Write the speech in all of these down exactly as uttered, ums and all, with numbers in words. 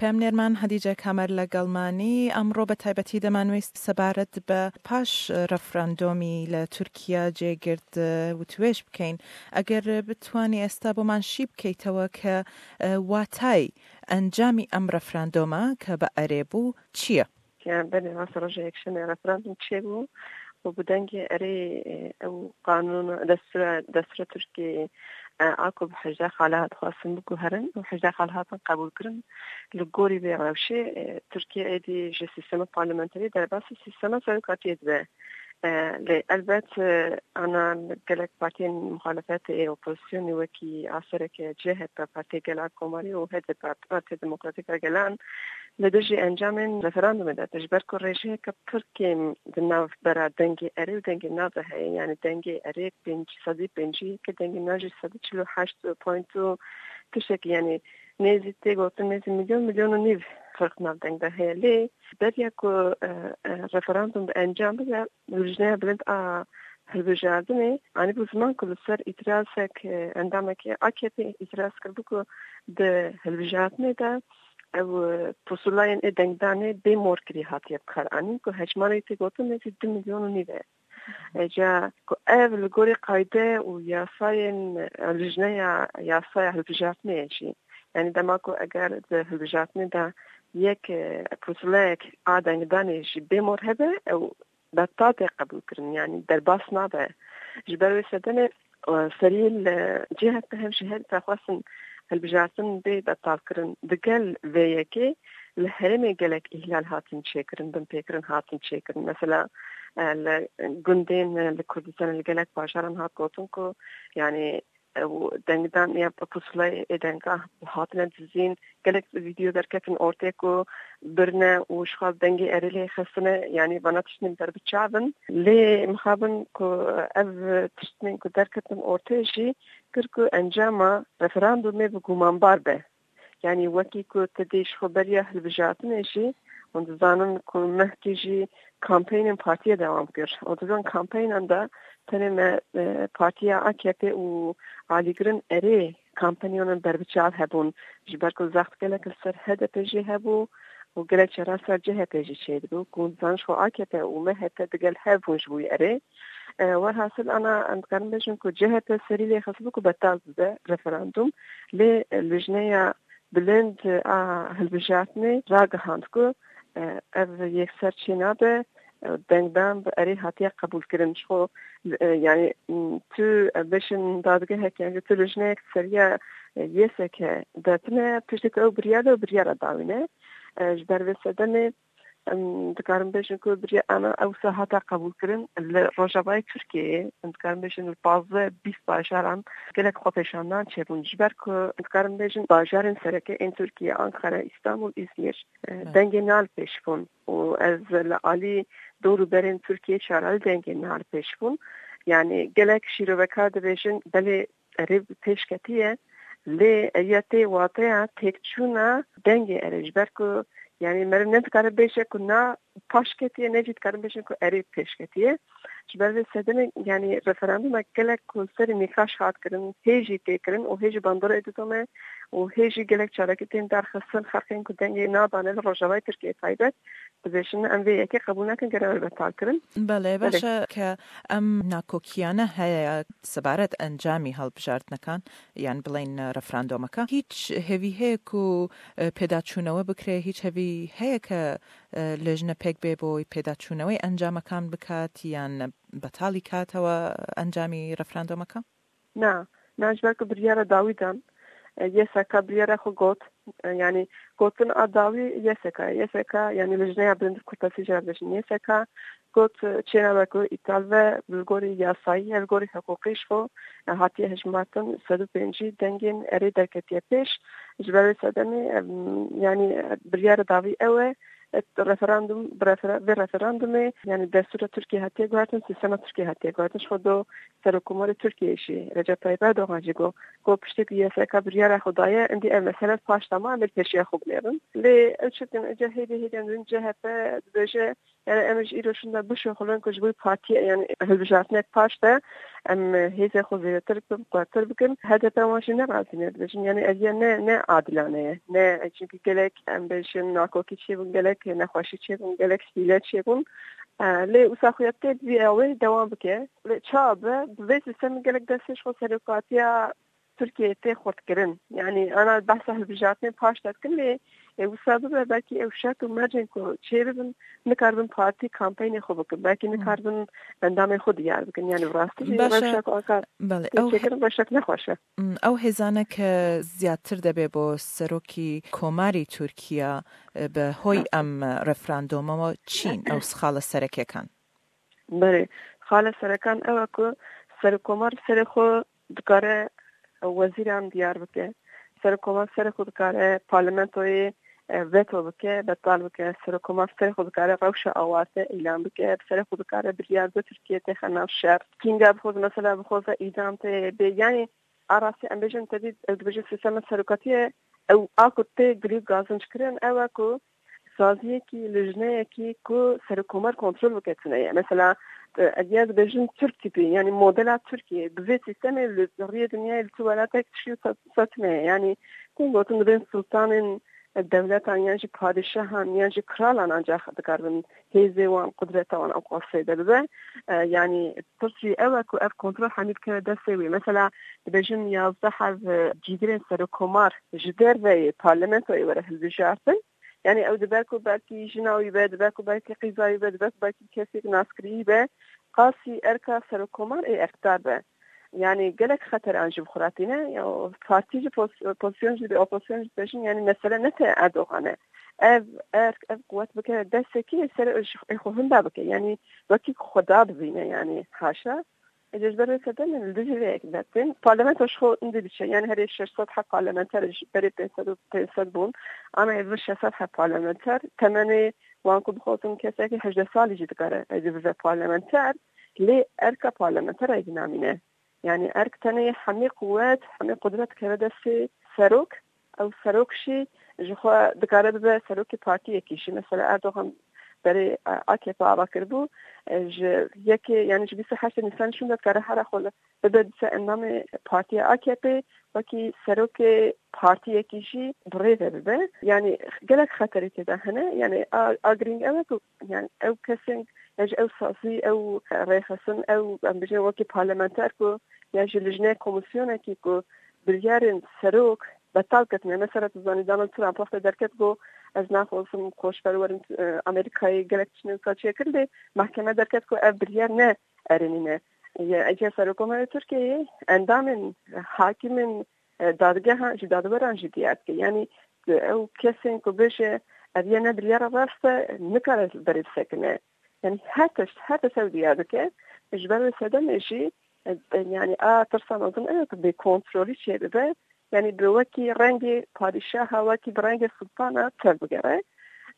پێمنێرمان هەدیجە کامەر لەگەڵمانی ئەمڕۆ بە تایبەتی دەمانویست سەبارەت بە پاش ڕەفراندۆمی لە تورکیا جێگرد وتوێش بکەین. ئەگەر بتوانی ئێستا بۆمان شی بکەیتەوە کە واتای ئەنجامی ئەم ڕەفراندۆمە کە بە ئەرێ بوو چییە؟ کە بەێ ڕاستە ڕۆژە یەکشەمە ڕەفراندوم چێ بوو و بە دەنگێ ئەرێ ئەو قانون دەستورە دەستورە تورکی ئاکۆ بە حەژدە خاڵە هاتخواستن بگوهرن و حەژدە خاڵ هاتن قبول کردن لە گۆری بێ ڕەوشێ تورکیا ئێدی ژە سیستەمە پارلمنتری دەرباسی سیستەمە سەرکاتیە دبێ. لێ ئەلبەت ئانا گەلک پارتیین مخالفەت ئێ ئۆپۆزیسیۆنی وەکی ئاسەرێکە جێ هەت بە پارتی گەلان کۆماری و هەت بە پارتی دموکراتیک گەلان لە دژی ئەنجامێن ڕفراندومێدا تژبەر کو ڕێژەیەکە پڕ کێم di nav bera dengê erê û dengê na de heye. Yani dengê erê pênc sedî pêncî yekê, dengê na jî sedî çil û heşt point û tiştekî, yani nêzî tê gotin nêzî milyon, milyon û nîv firq nav deng de heye. Lê beriya ku referandum bi encam bibe, Lijneya Bilind a Hilbijardinê anîbû ziman ku li ser îtirazek endamekî A K P îtiraz kiribû ku di hilbijardinê de ew pusulayên ê dengdanê bê morkirî hatiye bikaranîn ku hejmarê tê gotin nêzî du milyon û nîv e. Ca ku ev li gorî qayde û yasayên lijneya yasaya hilbijartinê ye jî, yani dema ku eger di hilbijartinê de yek pusulayek a dengdanê jî bê mor hebe, ew betal tê qebûlkirin, yani derbas nabe. Ji ber wê sedemê serî li cihek de hev ji her xwestin hilbijartin bê betalkirin. Digel vê yekê li herêmê gelek îhlal hatin çêkirin, binpêkirin hatin çêkirin. Mesela li gundên li Kurdistanê li gelek bajaran hat gotin ku yani ew dengdan ya pusulayê ê denga hatine dizîn, gelek vîdeo derketin ortê ku birine û ji xwe dengê erê lê xistine, yanî vana tiştên berbiçav in. Lê mixabin ku ev tiştên ku derketin ortê jî kir ku encama referandumê bi gumanbar be. Yanî wekî ku tu dê ji xwe beriya hilbijartinê jî, hûn dizanin ku mehkî jî kampeyên partiyê dewam kir. Û di van kampeynan de tenê me partiya A K P û alîgirên erê kampeynan berbiçav hebûn. Ji ber ku zext gelek li ser H D P jî hebû û gelek cara ser C H P jî çêdibû. Ku hûn dizanin ji xwe A K P û M H P digel hev bûn ji bo erê. Werhasil ana em dikarin bêjin ku C H P serî lê xistibû ku betal bibe referandum. Lê lijneya bilind a hilbijartinê ragihand ku ev yekser çênabe, dengdan bi erê hatiye qebûlkirin. Ji xwe yani tu bêjin dadgehek, yani tu lijneyek seriya Y S K de tune, piştî ku ew biryar de, ew biryara dawî ne. Ji ber vê sedemê em dikarin bêjin ku biriya ana ewsa hate qebûlkirin li rojavayê Tirkiyeyê. Em dikarin bêjin li pazdeh bîst bajaran gelek xwepêşandan çêbûn. Ji ber ku em dikarin bêjin bajarên sereke ên Tirkiye, Ankara, Îstanbul, Îzmîr, e, dengê na li pêş bûn. Û ez li alî dor û berên Tirkiyê çara li dengê na li pêş bûn. Yani gelek şîrovekar dibêjin, belê erê pêşketiye, lê eya tê wateya têkçûna dengê erê, ji ber ku yani meriv ne dikare bêje ku na paş ketiye, ne jî dikarin bêjin ku erê pêşketiye. Ji ber vê sedemê yani referandumek gelek ku serê nîqaş hat kirin, hê jî tê kirin û hê jî bandorê didome û hê jî gelek çalakî tên derxistin, xelkên ku dengê nadane li rojavayê Tirkiyê taybet, dibêjin em vê yekê qebûl nakin, gere betal kirin. Belê, baş e ke em nakokiyanî heye sebaret encamî hilbijartinekê, yan bileyn referandumeke. Hiç hêvî heye ku pêdaçûnewe bikre, hiç hêvî heye ke lijne pêk bê bo pêdaçûnewê encamekan bikat, yan betalî katî encamî referandumeke? Na, na, ji ber ku biryara dawî dan, Y S K biryara xwe got, yani gotin a dawî Y S K, Y S K yani Lijneya Bilind Kurtasî jî re dibêjin Y S K, got çênabe ku îtal ve, li gorî yasayî ye, li gorî hiqûqî ji xwe hatiye hejmartin sed û pêncî dengên erê derketiye pêş. Ji ber wê sedemê, yani biryara dawî ew e, referandum, bi refera-, vê referandumê, yani destûra Tirkiyê hatiye guhertin, sîstema Tirkiyê hatiye guhertin. Ji xwe do Serokkomarê Tirkiyê jî, Recep Tayyip Erdogan jî got, got piştî ku Y S K biryara xwe daye, endî ev mesele paş da ma, em ê pêşiya xwe binêrin. Lê ew çi dikin, ece hêdî hêdî em dibin C H P dibêje, yani em ji îro şûnda bişuxulin ku ji bo partiyê, yani hilbijartinek paş de em hêzê xwe zêdetir bikin, quwettir bikin. H D P wan jî ne razî ne, dibêjin, yani ev ya ne, ne adilane ye. Ne, çünkü gelek, em bêjin, nakokî çêbûn, gelek nexweşî çêbûn, gelek hîle çêbûn. E, lê wisa xuya tê bi vî awê dewam bike. Lê çawa be, bi vê sîstemê gelek destê ji xwe serokatiya Tirkiyeyê tê xurtkirin. Yani, ana behsa hilbijartinê paş de dikin, lê, e, wisa bibe, belkî ew şert û mercên ku çêbibin, nikaribin partî kampeynê xwe bikin. Belkî Hmm. nikaribin endamên xwe diyar bikin. Yani, bi rastî jî Baş e. rewşek anka Belê, ew he- têkirin rewşek nexweş e. Hmm, ew hêzane ke ziyadtir debe bo serokî komarî Tirkiye, e, bi hoy em referanduma çîn, ew xala serekekan. Belê, xala serekan ew e ku serokkomar serê xwe dikare wezîran diyar bike. Serokkomar serê xwe dikare parlamentoyê, e, veto bike, betal bike. Serokkomar serê xwe dikare rewşa awarte îlan bike. Serê xwe dikare biryar bide Tirkiye têxe nav şer. Kînga bixwaze, mesela bixwaze îdam tê bê. Yani, a rastî em bêjin, tevî ew dibêjin sîstema serokatiyê, ew a ku tê gilî gazinc kirin, ew e ku saziyekî, lijneyekî ku serokkomar kontrol bike tune ye. Mesela, e, ev ya dibêjin Türk tipi, yani modela Tirkiyê, bi vê sîstemê li riyê dinyayê li tu welatek tiştî wisa, wisa tune ye. Yani, tên gotin dibên sultanên dewletan yan jî padîşahan yan jî kralan ancax dikaribin hêzê wan, qudreta wan ew qasê de bibe. E, yani, pirsî ew e ku ev kontrol hemî bikeve destê wê. Mesela, dibêjin yazdeh heb, e, cîgirên serokkomar ji derveyê parlamentoyê were hilbijartin. Yani ew dibe ku belkî jina wî be, dibe ku belkî qîza wî be, dibe ku belkî kesek naskirî be, qasî erka serokkomar ê erkdar be. Yani gelek xeteran jî bi xwe re tîne. Ya partî jî pos-, pozisyon jî dibe, opozisyon jî dibêjin, yani mesele ne te Erdogan e. Ev erk, ev quwet bike destekî ser ê xwe hinda bike. Yani wekî xwe da bibîne, yani haşa. Ê, ji ber wê sedemên li dijî vê yekê dertên. Parlamento ji xwe hindî diçe. Yani herê şeş sed heb parlamenter ji berê pênc sed û pênc sed bûn. Ana ê vir şeş sed heb parlamenter. Temenê wan ku bixwazin kesekî hejdeh salî jî dikare êdî bibe parlamenter. Lê erka parlamenter êdî namîne. Yani erk tenê hemî quwet, hemî qudret dikeve destê serok. Ew serok jî ji xwe dikare bibe serokê partiyekî jî. Mesela Erdogan berê, e, A K P ava kiribû, e, ji yekê, yani ji bîst û heştê Nîsanê şûnde dikare here xwe li, bibe dîsa endamê partiya A K P, wekî serokê partiyekî jî bi rê ve bibe. Yani gelek xeterî tê de hene. Yani a, a girîng ew e ku, yani ew kesên, ya ji ew sazî, ew rêxistin, ew, em bijin wekî parlamenter ku, ya ji lijnê komîsyonekî ku biryarên serok betal ketine. Mesela, tu zanî, Donald Trump wextê derket, got, "Ez naxwazim koçber werin, e, Amerîkayê, gelek tiştên wisa çêkir." Lê mehkeme derket ku ev biryar ne erênî ne. Ye, ece Serokkomarê Tirkiyeyê endamên, e, hakimên, e, dadgehan jî, dadweran jî diyar dike. Yani, e, ew kesên ku bêje, "Ev ye ne biryara rast e", nikare berê bisekine. Yani her tişt, her tişt ew diyar dike. Ji ber wê sedemê jî, e, e, yani a tirsa mezin ew e ku bêkontrolî çêbibe. Yani bi wekî rengê padîşaha, wekî bi rengê sultana tevbigere.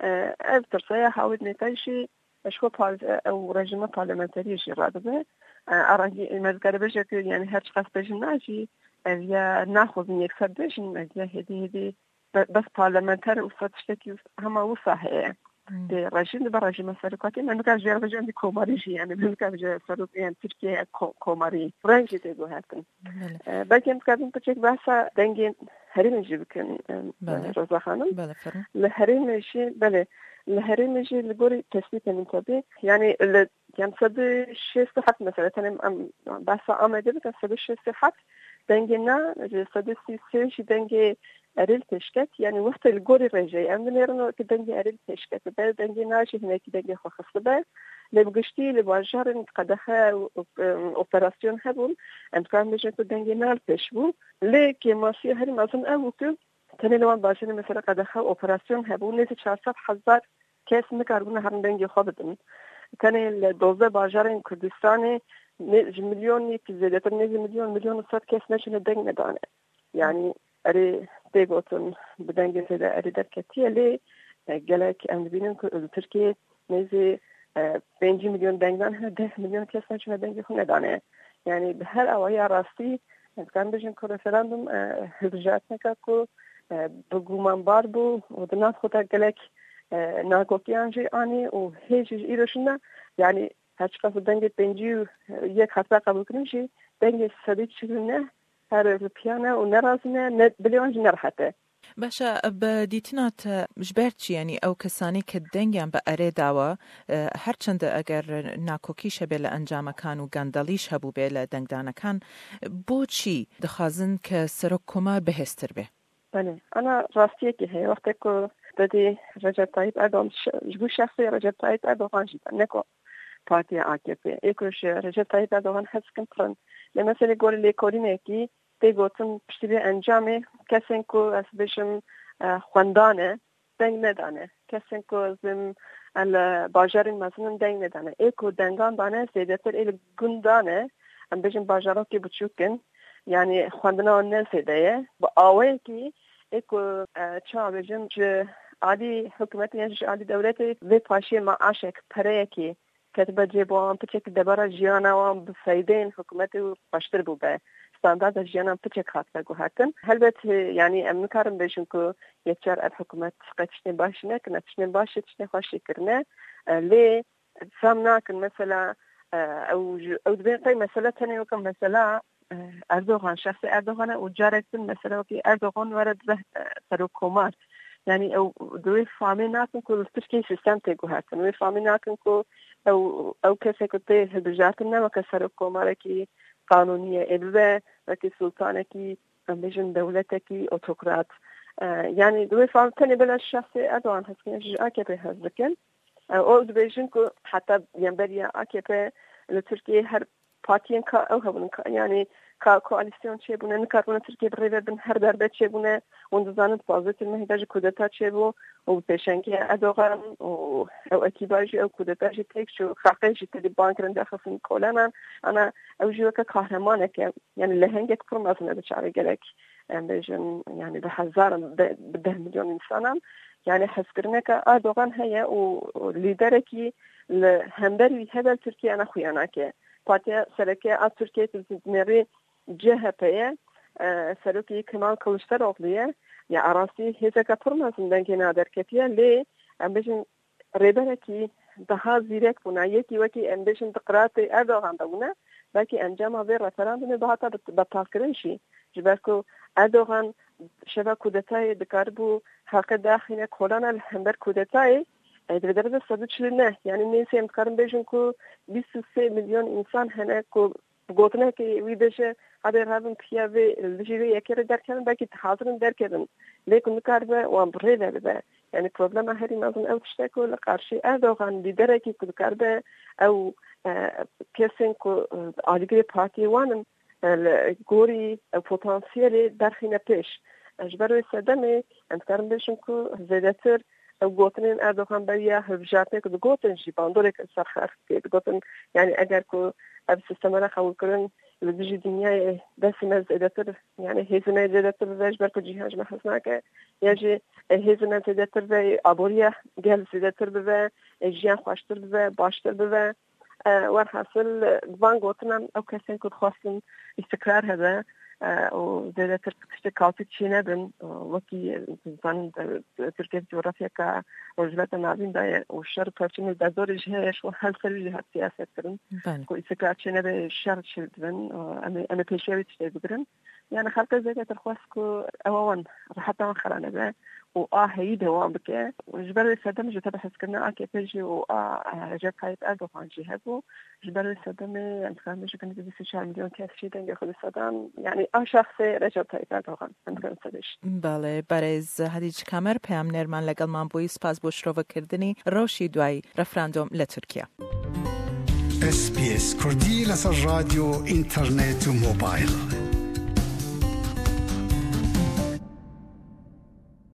E, ev tirsa ya hawîrnê te jî ji xwe par-, e, ew rejîma parlamenteriyê jî radibe. E, a rengî me dikare bêje ku yani her çiqas bêjin na jî, ev ya naxwazin yekser bêjin, ev ya hêdî hêdî be-, bes parlamenter û wisa tiştekî wis-, hema wisa heye. Hmm. Dê rejîm dibe rejîma serokatiyê, me nikare jê re bêje em dî komarî jî, yani me nikare bêje serok, yani Tirkiye ko-, komarî. Reng jî tê guhertin. Belê. E, belkî em dikarin piçek behsa dengê herêmê jî bikin, e, Belê. Roza Xanim. Belê, fermo. Li herêmê jî, belê, li herêmê jî li gorî tespîtê min tabii. Yani li Yan sed û şêst û heft mesela, tenê em behsa Amedê bikin, sed û şêst û heft dengê na, ji sed û sî û sê jî dengê erê li pêş ket. Yani wextê li gorî rêjeyê em dinêrin wekî dengê erê li pêş ketibe, dengê na jî hinekî dengê xwe xistibe. Lê bi giştî li bajarên qedexe û, û, operasyon hebûn, em dikarin bêjin ku dengê na li pêş bû. Lê kêmasiya herî mezin ew bû ku tenê li wan bajarên mesela qedexe û operasyon hebû, nêzî çar sed hezar kes nikaribûne herin dengê xwe bidin. Tenê li dozdeh bajarên Kurdistanê nê-, ji milyonekî zêdetir, nêzî milyon, milyon û sed kes neçûne deng nedane. Yani erê tê gotin bi dengê zêde erê derketiye, lê E, gelek em dibînin ku li Tirkiyê nêzî, e, pêncî milyon dengdan hene, deh milyon kes neçûne dengê xwe nedane. Yani bi her awaya rastî, em dikarin bêjin ku referandum, e, hilbijartineke ku, e, bi gumanbar bû û di nav xwe de gelek, e, nakokiyan jî anî û hê jî ji îro şûna, yani her çiqas dengê pêncî û yek hatibû qebûlkirin jî, dengê sedî çil û neh her li piya ne û nerazî ne, ne, dilê wan jî nerehet e. Baş e, bi dîtina te ji ber çi, yanî ew kesanê ke dengiyan bi erê dawa, e, her çend eger nakokîş hebe li encamekan û gendelîş hebûbe li dengdanekan, bo çî dixwazin ke serok komar bihêztir be? Belê, ana rastiyekî heye. Wextê ku te dî Recep Tayyip Erdogan, şe-, ji bo şexsê Recep Tayyip Erdogan jî ne ku partiya A K P. Ê ku ji Recep Tayyip Erdogan hez dikin pir in. Lê meselê gorî lêkolînekî tê gotin piştî vê encamê kesên ku ez bêjim, e, xwendan e, deng nedane. Kesên ku ez bêjim, e, li bajarên mezin in deng nedane. Ê ku dengan dane zêdetir ê li gundan e, em bêjin bajarokê biçûk in. Yani xwendina wan ne zêde ye. Bi awayekî ê ku, e, çawa bêjim, ji alî hikûmetê yan ji alî dewletê vê paşiyê maaşek, pereyekî ketibe cê bo wan, piçekî debara jiyana wan bi feydeyên hikûmetê û xweştir bûbe. Standarda jiyana piçek hatine guhertin. Helbet, e, yani em nikarin bêjin ku yekcar ev hikûmet qet tiştên baş nekirine, tiştên baş, tiştên xweş jî kirine. E, lê fam nakin mesela, e, ew ji, ew dibên qey mesela tenê weke mesela, e, Erdogan, şexsê Erdogan e û carek din mesela wekî Erdogan were dibe, e, serok komar. Yani ew di wê famê nakin ku li Tirkiyeyê sîstem tê guhertin. Wê famê nakin ku ew, ew kesek ku tê hilbijartin ne weke serok komarekî qanûnî ye. Ê bibe wekî sultanekî, em bêjin dewletekî otokrat. E, yani di wê famê tenê bila şexsê Erdogan hez dikin, ji A K P hez dikin. E, û dibêjin ku heta yemberiya A K P li Tirkiyeyê her partiyên ka ew hebûn, ka, yani ka koalîsyon çêbûne, nikaribûne Tirkiye bi rê ve bin, her derbe çêbûne. Hûn dizanin di pazdeh mehê de jî kudeta çêbû û bi pêşengiya Erdogan û ew ekîba jî ew kudeta jî têk çû. Xelkê jî tedî ban kirin, derxistin kolanan. Ana ew jî weke kahremaneke, yani lehengek pir mezin e di çavê gelek, em bêjin, yani bi hezaran, bi, bi deh milyon însanan. Yani hezkirineke Erdogan heye û, û lîderekî li hember wî hebe li Tirkiye ne xuya nake. Partiya sereke a Tirkiye tu dinêrî C H P ye, e, serokî Kemal Kılıçdaroğlu ye. Ya arastî hêzeke pir mezin dengê na derketiye, lê em bêjin rêberekî daha zîrek bûna, yekî wekî em bêjin di qiratê Erdogan de bûne, belkî encama vê referandumê bihata bet-, betalkirin jî. Ji ber ku Erdogan şeva kudetayê dikaribû xelkê daxîne kolana li hember kudetayê, e, di vê derê de sed û çil û neh, yani nêzî em dikarin bêjin ku bîst û sê milyon însan hene ku bi gotinekê wî bêje, hebê revin piya vê, li dijî vê yekê re derkevin, belkî hazir in derkevin. Lê ku nikaribe wan bi rê ve bibe. Yani problema herî mezin ew tişt e ku li qarşî Erdogan, lîderekî ku dikaribe ew, e, kesên ku, e, alîgirê partiyê wan in, e, li gorî, e, potansiyelê derxîne pêş. E, ji ber wê sedemê em dikarin bêjin ku zêdetir ew gotinên Erdogan beriya hilbijartinê ku digotin jî bandorek li ser xelk tê digotin. Yani eger ku ev sîsteme re qebûl kirin, li dijî dinyayê destê me zêdetir, yani hêzê me zêdetir bibe, ji ber ku cîhan ji me hez nake, ya jî, e, hêzê me zêdetir be, aboriya gel zêdetir bibe, e, jiyan xweştir bibe, baştir bibe. E, werhasil, e, bi van gotinan ew kesên ku dixwastin îstikrar hebe, e, û zêdetir tiştê kaotîk çênebin, e, wekî, e, zanin, e, Tirkiye coğrafyaka Rojhilata Navîn de ye û şer û pevçûn û derdorê jî heye, ji her ser wî jî hat siyaset kirin. Belê. Ku îstikrar çênebe şer çêdibin, e, em ê, em ê pêşiya wî tiştê bigirin. Yani xelkê zêdetir xwest ku ewa wan, reheta wan xera nebe û a heyî dewam bike. Ji ber wê sedem ji tebehezkirina A K P jî û a, e, Recep Tayyip Erdogan jî hebû. Ji ber wê sedemê em dikarin bêjin ku nêzî bîst û çar milyon kes jî dengê xwe dê sedan. Yani a şexsê Recep Tayyip Erdogan em dikarin sedê jî. Belê, berêz Hedîc Kamer, peyamnêrman legelman bûyî. Spas bo şirovekirdinî. Rewşî duayî referandum li Tirkiye. S B S Kurdî لەسەر ڕادیۆ، ئینتەرنێت و مۆبایل.